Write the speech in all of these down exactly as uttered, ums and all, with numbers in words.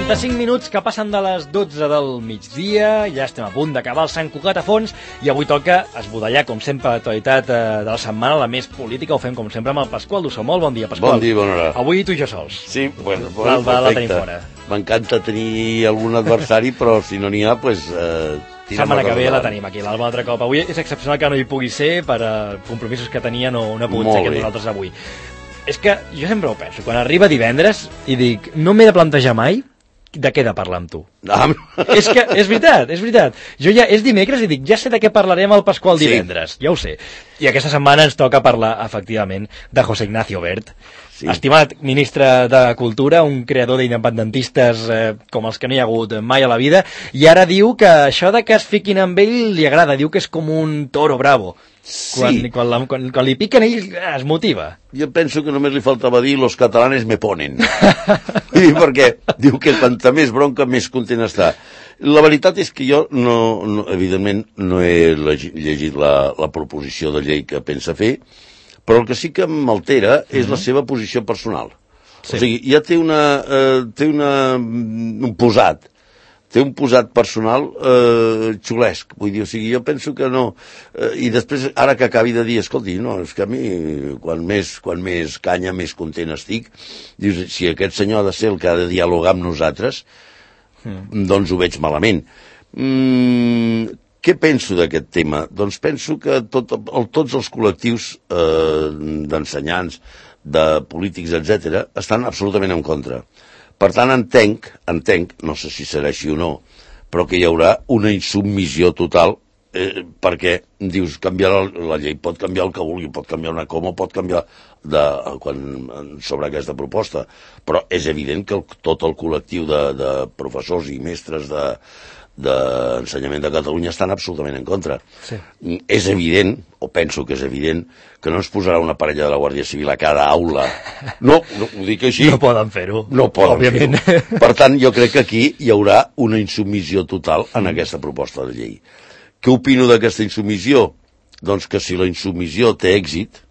quaranta-cinc minuts que passen de les dotze del migdia, ja estem a punt d'acabar el Sant Cugat a fons i avui toca esbudellar, com sempre, l'actualitat eh, de la setmana, la més política. Ho fem, com sempre, amb el Pasqual Dussó. Molt bon dia, Pasqual. Bon dia, bona hora. Avui tu i jo sols. Sí, bueno, bueno la, la tenim fora. M'encanta tenir algun adversari, però si no n'hi ha, doncs... Eh, setmana que ve la tenim aquí, l'Alba, altre cop. Avui és excepcional que no hi pugui ser, per uh, compromisos que tenia no, no ha pogut ser amb nosaltres avui. És que jo sempre ho penso, quan arriba divendres i dic, no m'he de plantejar mai de què he de parlar amb tu. Ah. És que és veritat, és veritat. Jo ja és dimecres i dic, ja sé de què parlarem al Pasqual divendres, sí. Ja ho sé. I aquesta setmana ens toca parlar, efectivament, de José Ignacio Wert. Sí. Estimat ministre de Cultura, un creador d'independentistes eh, com els que no hi ha hagut mai a la vida, i ara diu que això de que es fiquin amb ell li agrada, diu que és com un toro bravo. Sí. Quan, quan, la, quan, quan li piquen ell es motiva. Jo penso que només li faltava dir los catalanes me ponen. Perquè diu que quanta més bronca més content està. La veritat és que jo, no, no, evidentment, no he llegit la, la proposició de llei que pensa fer, però el que sí que m'altera és mm-hmm. la seva posició personal. Sí. O sigui, ja té, una, eh, té una, un posat, té un posat personal eh, xulesc. Vull dir, o sigui, jo penso que no... Eh, I després, ara que acabi de dir, escolti, no, és que a mi, quan més, quan més canya, més content estic, dius, si aquest senyor ha de ser el que ha de dialogar amb nosaltres, mm. doncs ho veig malament. Mm, què penso d'aquest tema? Doncs penso que tot, el, tots els col·lectius eh, d'ensenyants, de polítics, etcètera, estan absolutament en contra. Per tant, entenc, entenc, no sé si serà així o no, però que hi haurà una insubmissió total, eh, perquè, dius, canviar la, la llei pot canviar el que vulgui, pot canviar una coma, pot canviar de, quan, sobre aquesta proposta, però és evident que el, tot el col·lectiu de, de professors i mestres de d'ensenyament de Catalunya estan absolutament en contra. Sí. És evident, o penso que és evident, que no es posarà una parella de la Guàrdia Civil a cada aula. No, no ho dic així. No poden fer-ho. No poden fer-ho. Per tant, jo crec que aquí hi haurà una insubmissió total en aquesta proposta de llei. Què opino d'aquesta insubmissió? Doncs que si la insubmissió té èxit,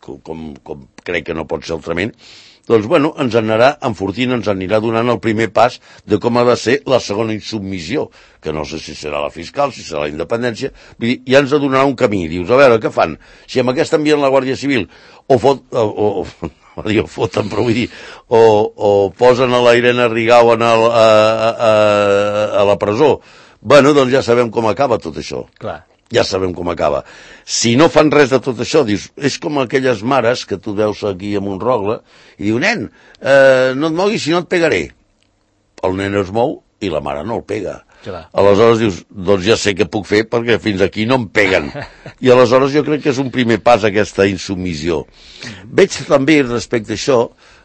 com, com crec que no pot ser altrament, doncs, bueno, ens anirà enfortint, ens anirà donant el primer pas de com ha de ser la segona insubmissió, que no sé si serà la fiscal, si serà la independència, vull dir, ja ens donarà un camí. Dius, a veure, què fan? Si amb aquesta envien la Guàrdia Civil, o fot, o, o, o, o foten, però vull dir, o, o posen a la Irene Rigau en el, a, a, a, a la presó, bueno, doncs ja sabem com acaba tot això. Clar. Ja sabem com acaba. Si no fan res de tot això, dius, és com aquelles mares que tu veus aquí a Montrogle i diu, nen, eh, no et moguis si no et pegaré. El nen es mou i la mare no el pega. Clar. Aleshores dius, doncs ja sé què puc fer perquè fins aquí no em peguen. I aleshores jo crec que és un primer pas aquesta insubmissió. Veig també respecte a això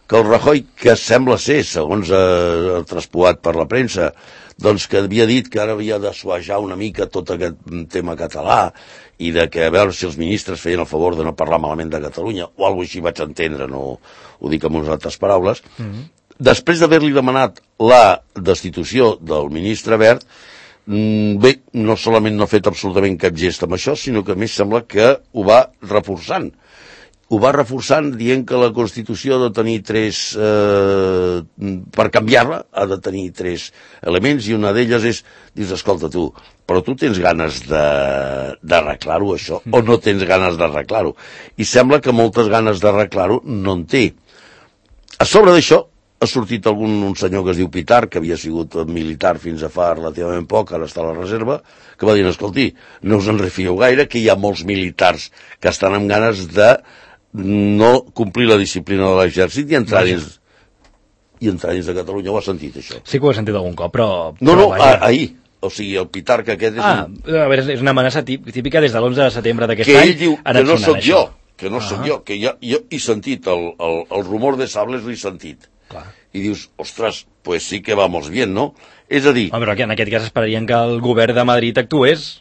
que el Rajoy, que sembla ser, segons eh, traspuat per la premsa, doncs que havia dit que ara havia de suajar una mica tot aquest tema català i de que a veure si els ministres feien el favor de no parlar malament de Catalunya o alguna cosa així vaig entendre, no ho dic amb unes altres paraules. Mm-hmm. Després d'haver-li demanat la destitució del ministre Wert, bé, no solament no ha fet absolutament cap gest amb això, sinó que a més sembla que ho va reforçant. Ho va reforçant dient que la Constitució ha de tenir tres... Eh, per canviar-la ha de tenir tres elements i una d'elles és, dius, escolta tu, però tu tens ganes d'arreglar-ho això o no tens ganes d'arreglar-ho? I sembla que moltes ganes d'arreglar-ho no en té. A sobre d'això ha sortit algun un senyor que es diu Pitar, que havia sigut militar fins a fa relativament poc, ara està a la reserva, que va dir, escolti, no us en refieu gaire, que hi ha molts militars que estan amb ganes de no complir la disciplina de l'exèrcit i entrar dins i entrar dins de Catalunya. Ho has sentit, això? Sí que ho he sentit algun cop, però... No, no, a, ahir. O sigui, el Pitar que aquest és... Ah, un... a veure, és una amenaça típica des de l'onze de setembre d'aquest any. Que ell diu que no sóc jo, que no sóc jo, que jo, jo he sentit el, el, el rumor de sables, l'he sentit. Clar. I dius, ostres, pues sí que vamos bien, no? És a dir... Home, però en aquest cas esperarien que el govern de Madrid actués...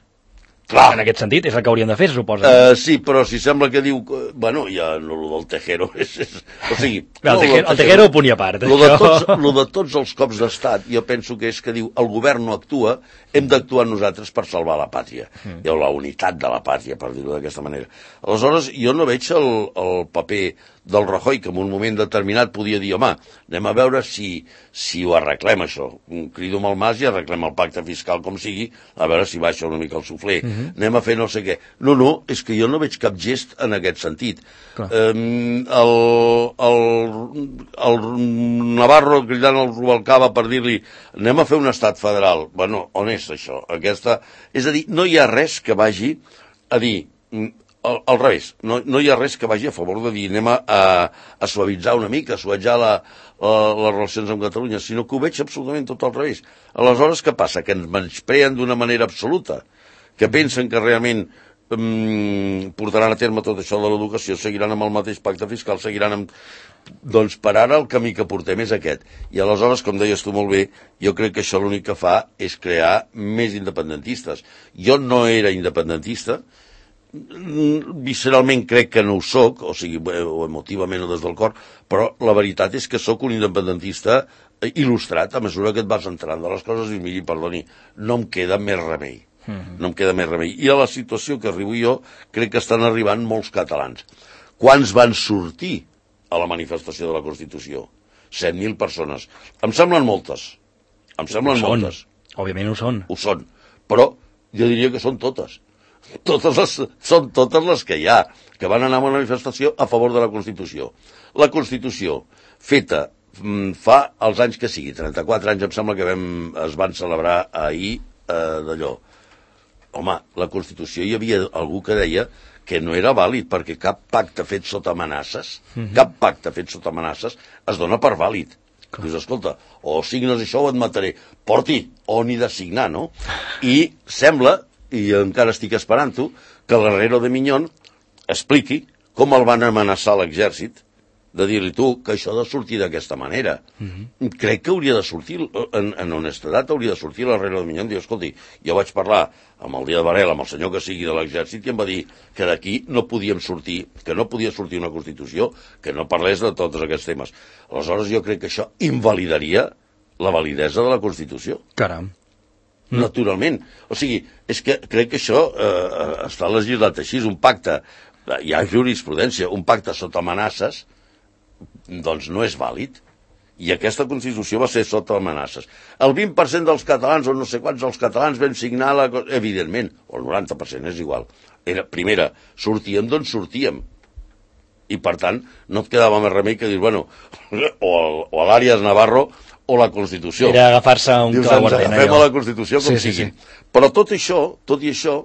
Clar. En aquest sentit, és el que hauríem de fer, se suposa. Uh, sí, però si sembla que diu... Que, bueno, ja no, el del Tejero és... és o sigui... Bé, el, tejero, el Tejero ho punt i a part. Lo de, tots, lo de tots els cops d'estat, jo penso que és que diu el govern no actua, hem d'actuar nosaltres per salvar la pàtria. Mm. O la unitat de la pàtria, per dir-ho d'aquesta manera. Aleshores, jo no veig el, el paper del Rajoy, que en un moment determinat podia dir, home, anem a veure si, si ho arreglem, això. Crido amb el Mas i arreglem el pacte fiscal com sigui, a veure si baixa una mica el suflé. Mm -hmm. Anem a fer no sé què. No, no, és que jo no veig cap gest en aquest sentit. Um, el, el, el Navarro cridant el Rubalcaba per dir-li anem a fer un estat federal. Bueno, on és això? Aquesta... És a dir, no hi ha res que vagi a dir... Al, al revés, no, no hi ha res que vagi a favor de dir anem a, a, a suavitzar una mica, a suavitzar la, la, les relacions amb Catalunya, sinó que ho veig absolutament tot al revés. Aleshores, què passa? Que ens menyspreen d'una manera absoluta, que pensen que realment um, portaran a terme tot això de l'educació, seguiran amb el mateix pacte fiscal, seguiran amb... Doncs per ara el camí que portem és aquest. I aleshores, com deies tu molt bé, jo crec que això l'únic que fa és crear més independentistes. Jo no era independentista, visceralment crec que no ho soc, o sigui, o emotivament o des del cor, però la veritat és que sóc un independentista il·lustrat a mesura que et vas entrant de les coses i miri, perdoni, no em queda més remei. No em queda més remei. I a la situació que arribo jo, crec que estan arribant molts catalans. Quants van sortir a la manifestació de la Constitució? set mil persones. Em semblen moltes. Em semblen ho són. moltes. Òbviament ho són. Ho són. Però jo diria que són totes. Totes les, són totes les que hi ha, que van anar a una manifestació a favor de la Constitució. La Constitució, feta fa els anys que sigui, trenta-quatre anys em sembla que vam, es van celebrar ahir eh, d'allò. Home, la Constitució hi havia algú que deia que no era vàlid perquè cap pacte fet sota amenaces, mm-hmm. cap pacte fet sota amenaces es dona per vàlid. Clar. Dius, escolta, o signes això o et mataré. Porti, o n'hi de signar, no? I sembla, i encara estic esperant-ho, que l'Herrero de Miñón expliqui com el van amenaçar l'exèrcit de dir-li tu que això ha de sortir d'aquesta manera. Mm-hmm. Crec que hauria de sortir, en, en honestedat hauria de sortir l'Herrero de Miñón i dir, escolti, jo vaig parlar amb el dia de Varela, amb el senyor que sigui de l'exèrcit, i em va dir que d'aquí no podíem sortir, que no podia sortir una Constitució que no parlés de tots aquests temes. Aleshores jo crec que això invalidaria la validesa de la Constitució. Caram. Naturalment. O sigui, és que crec que això eh, està legislat així, un pacte, hi ha jurisprudència, un pacte sota amenaces, doncs no és vàlid. I aquesta Constitució va ser sota amenaces. El vint per cent dels catalans, o no sé quants dels catalans, vam signar la... Evidentment, o el noranta per cent, és igual. Era, primera, sortíem d'on sortíem. I, per tant, no et quedava més remei que dir, bueno, o, o l'Àries Navarro o la Constitució. Era agafar-se un clau ardent. Agafem a la Constitució com sí, sigui. Sí, sí. Però tot això, tot i això,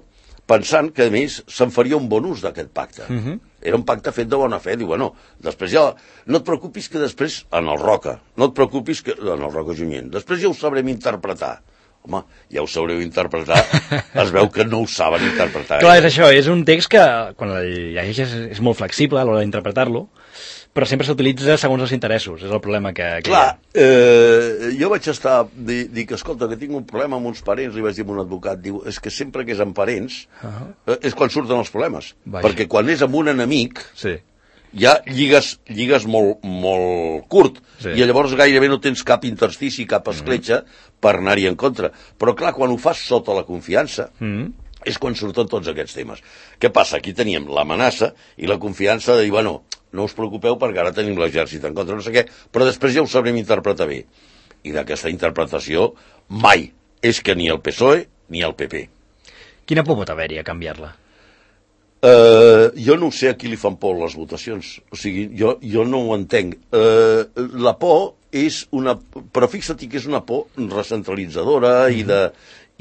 pensant que, a més, se'n faria un bon ús d'aquest pacte. Uh-huh. Era un pacte fet de bona fe. Diu, bueno, després ja... No et preocupis que després, en el Roca, no et preocupis que... En el Roca Junyent. Després ja ho sabrem interpretar. Home, ja ho sabreu interpretar. Es veu que no ho saben interpretar. Clar, és això. És un text que, quan el llegeixes, és molt flexible a l'hora d'interpretar-lo, però sempre s'utilitza segons els interessos. És el problema que... que Clar, eh, jo vaig estar... Dic, di que, escolta, que tinc un problema amb uns parents, li vaig dir a un advocat, diu, és que sempre que és amb parents, uh-huh. eh, és quan surten els problemes. Vaja. Perquè quan és amb un enemic, sí. ja lligues, lligues molt, molt curt, sí. i llavors gairebé no tens cap interstici, cap escletxa, uh-huh. per anar-hi en contra. Però clar, quan ho fas sota la confiança, uh-huh. és quan surten tots aquests temes. Què passa? Aquí teníem l'amenaça i la confiança de dir, bueno, no us preocupeu perquè ara tenim l'exèrcit en contra, no sé què, però després ja ho sabrem interpretar bé. I d'aquesta interpretació mai és que ni el P S O E ni el P P. Quina por pot haver-hi a canviar-la? Uh, jo no sé a qui li fan por les votacions. O sigui, jo, jo no ho entenc. Uh, la por és una... Però fixa't que és una por recentralitzadora mm-hmm. i de...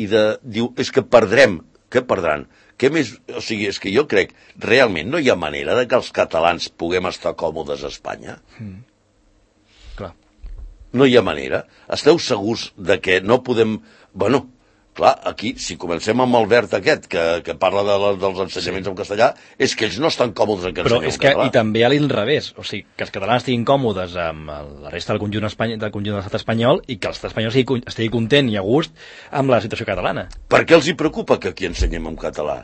I de diu, és que perdrem. Què perdran? Què més? O sigui, és que jo crec, realment no hi ha manera de que els catalans puguem estar còmodes a Espanya? Mm. Clar. No hi ha manera. Esteu segurs de que no podem... Bueno, Clar, aquí, si comencem amb el Verd aquest, que, que parla de la, dels ensenyaments sí. en castellà, és que ells no estan còmodes en que Però ensenyeu és que, català. i també a l'inrevés, o sigui, que els catalans estiguin còmodes amb la resta del conjunt, espany... del conjunt de l'estat espanyol i que l'estat espanyol estigui, estigui content i a gust amb la situació catalana. Per què els hi preocupa que aquí ensenyem en català?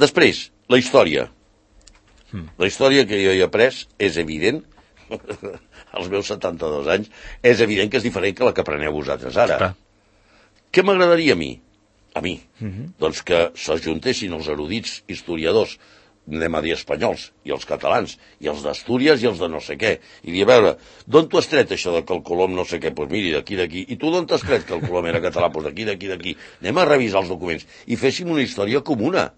Després, la història. Hmm. La història que jo he après és evident, als meus setanta-dos anys, és evident que és diferent que la que apreneu vosaltres ara. Clar. Què m'agradaria a mi? A mi. Uh-huh. Doncs que s'ajuntessin els erudits historiadors, anem a dir espanyols, i els catalans, i els d'Astúries i els de no sé què, i dir, a veure, d'on t'ho has tret això de que el Colom no sé què? Doncs pues miri, d'aquí, d'aquí. I tu d'on t'has tret que el Colom era català? Doncs pues d'aquí, d'aquí, d'aquí. Anem a revisar els documents i féssim una història comuna.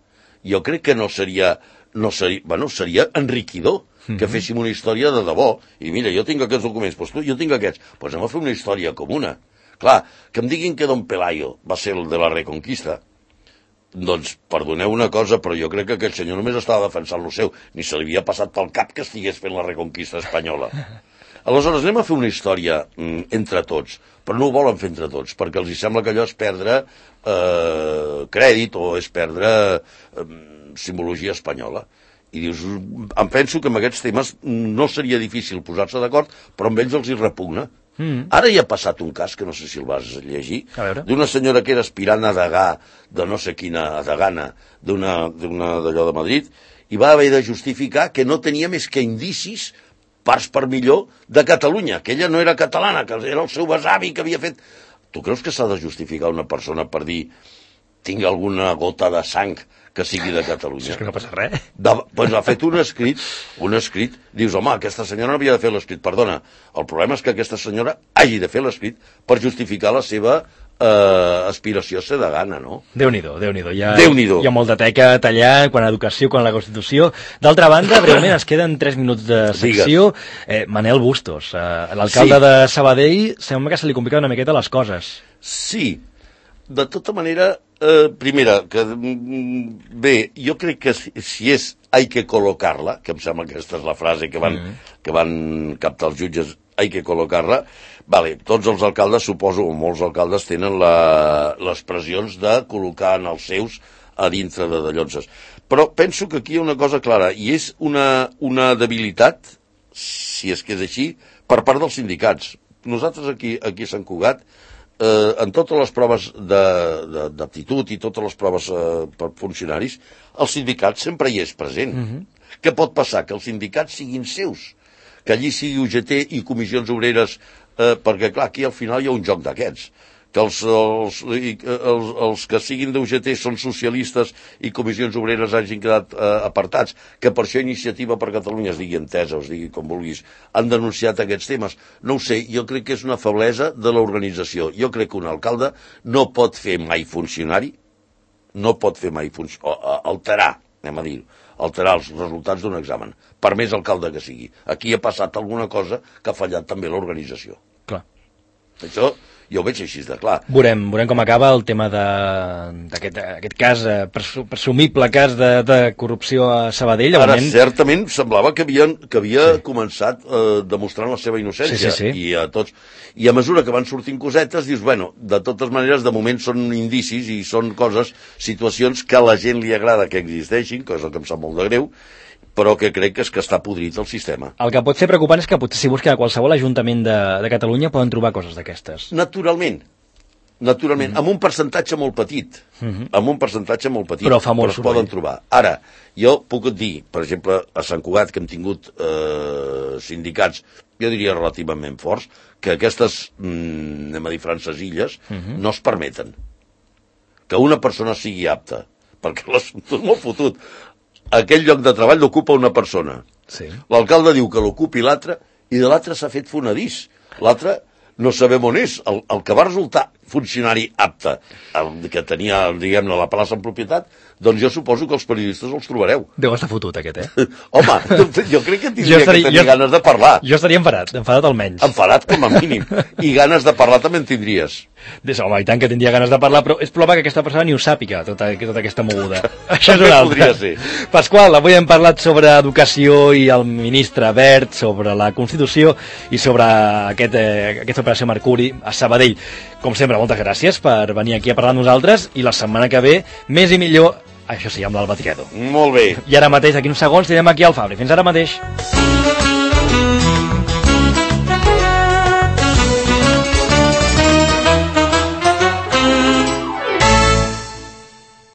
Jo crec que no seria... no seria, bueno, seria enriquidor que féssim una història de debò. I mira, jo tinc aquests documents, doncs tu, jo tinc aquests. Doncs anem a fer una història comuna. Clar, que em diguin que Don Pelayo va ser el de la Reconquista, doncs perdoneu una cosa, però jo crec que aquell senyor només estava defensant lo seu, ni se li havia passat pel cap que estigués fent la Reconquista espanyola. Aleshores, anem a fer una història mm, entre tots, però no ho volen fer entre tots, perquè els hi sembla que allò és perdre eh, crèdit o és perdre eh, simbologia espanyola. I dius, em penso que amb aquests temes no seria difícil posar-se d'acord, però amb ells els hi repugna. Mm. Ara hi ha passat un cas, que no sé si el vas llegir, d'una senyora que era aspirant a degà de no sé quina, a degana, d'una d'allò de Madrid, i va haver de justificar que no tenia més que indicis, parts per millor, de Catalunya, que ella no era catalana, que era el seu besavi que havia fet... Tu creus que s'ha de justificar una persona per dir tinc alguna gota de sang que sigui de Catalunya? Si és que no passa res. Doncs pues ha fet un escrit, un escrit, dius, home, aquesta senyora no havia de fer l'escrit, perdona, el problema és que aquesta senyora hagi de fer l'escrit per justificar la seva eh, aspiració a ser de gana, no? Déu-n'hi-do, Déu-n'hi-do. Hi ha, Déu-n'hi-do. Hi ha molt de teca a tallar quan a educació, quan a la Constitució. D'altra banda, breument, ens queden tres minuts de secció. Eh, Manel Bustos, eh, l'alcalde sí. de Sabadell, sembla que se li compliquen una miqueta les coses. Sí, de tota manera, eh, primera, que bé, jo crec que si, si és hay que col·locar-la, que em sembla que aquesta és la frase que van, mm. que van captar els jutges, hay que col·locar-la, vale, tots els alcaldes, suposo, o molts alcaldes tenen la, les pressions de col·locar en els seus a dintre de, de llonses. Però penso que aquí hi ha una cosa clara, i és una, una debilitat, si és que és així, per part dels sindicats. Nosaltres aquí, aquí a Sant Cugat, Eh, en totes les proves d'aptitud i totes les proves eh, per funcionaris, el sindicat sempre hi és present. Mm-hmm. Què pot passar? Que els sindicats siguin seus, que allí sigui U G T i comissions obreres, eh, perquè clar, aquí al final hi ha un joc d'aquests, que els, els, els, els que siguin d'U G T són socialistes i comissions obreres hagin quedat eh, apartats, que per això Iniciativa per Catalunya es digui entesa, es digui com vulguis, han denunciat aquests temes. No ho sé, jo crec que és una feblesa de l'organització. Jo crec que un alcalde no pot fer mai funcionari, no pot fer mai func... alterar, anem a dir, alterar els resultats d'un examen, per més alcalde que sigui. Aquí ha passat alguna cosa que ha fallat també l'organització. Clar. Això jo ho veig així de clar. Veurem, veurem com acaba el tema d'aquest aquest cas, eh, presumible cas de, de corrupció a Sabadell. Ara, moment... certament, semblava que, havien, que havia sí. començat eh, demostrant la seva innocència. Sí, sí, sí. I, a tots, I a mesura que van sortint cosetes, dius, bueno, de totes maneres, de moment són indicis i són coses, situacions que a la gent li agrada que existeixin, cosa que em sap molt de greu, però que crec que és que està podrit el sistema. El que pot ser preocupant és que potser si busquen a qualsevol ajuntament de, de Catalunya poden trobar coses d'aquestes. Naturalment, naturalment, mm. amb un percentatge molt petit, mm-hmm. amb un percentatge molt petit, però, fa molt però es poden trobar. Ara, jo puc dir, per exemple, a Sant Cugat, que hem tingut eh, sindicats, jo diria relativament forts, que aquestes, mm, anem a dir, francesilles, mm-hmm. no es permeten que una persona sigui apta, perquè l'assumpte és molt fotut. Aquell lloc de treball l'ocupa una persona. Sí. L'alcalde diu que l'ocupi l'altre, i de l'altre s'ha fet fonedís. L'altre no sabem on és. El, el que va resultar funcionari apte, el que tenia, diguem-ne, la plaça en propietat, doncs jo suposo que els periodistes els trobareu. Deu estar fotut, aquest, eh? Home, jo crec que tindria estaria, que tenir jo, ganes de parlar. Jo estaria enfadat, enfadat almenys. Enfadat com a mínim. I ganes de parlar també en tindries. Des, home, i tant que tindria ganes de parlar, però és probable que aquesta persona ni ho sàpiga, tota, tota aquesta moguda. Això és una altra. Podria ser. Pasqual, avui hem parlat sobre educació i el ministre Wert, sobre la Constitució i sobre aquest, eh, aquesta operació Mercuri a Sabadell. Com sempre, moltes gràcies per venir aquí a parlar amb nosaltres i la setmana que ve, més i millor, això sí, amb l'Alba Triado. Molt bé. I ara mateix, d'aquí uns segons, tindrem aquí al Fabri. Fins ara mateix.